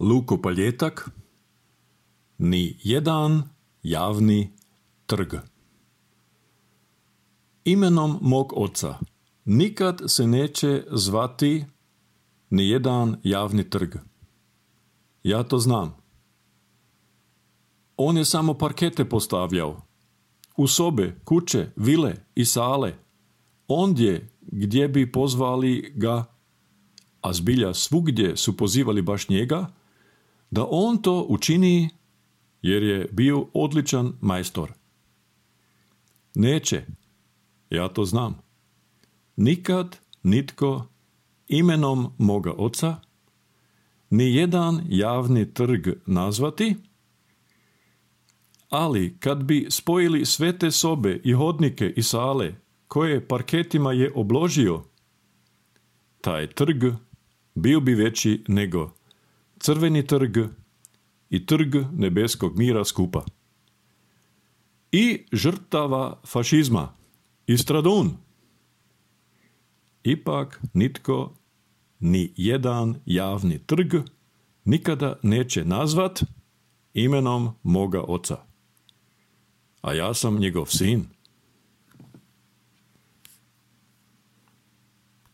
Lukopaljetak, ni jedan javni trg. Imenom mog oca nikad se neće zvati ni jedan javni trg. Ja to znam. On je samo parkete postavljao. U sobe, kuće, vile i sale. Ondje gdje bi pozvali ga, a zbilja svugdje su pozivali baš njega, da on to učini jer je bio odličan majstor. Neće, ja to znam. Nikad nitko imenom moga oca ni jedan javni trg nazvati, ali kad bi spojili sve te sobe i hodnike i sale koje parketima je obložio, taj trg bio bi veći nego Crveni trg i Trg nebeskog mira skupa. I žrtava fašizma i Stradun. Ipak nitko ni jedan javni trg nikada neće nazvat imenom moga oca. A ja sam njegov sin.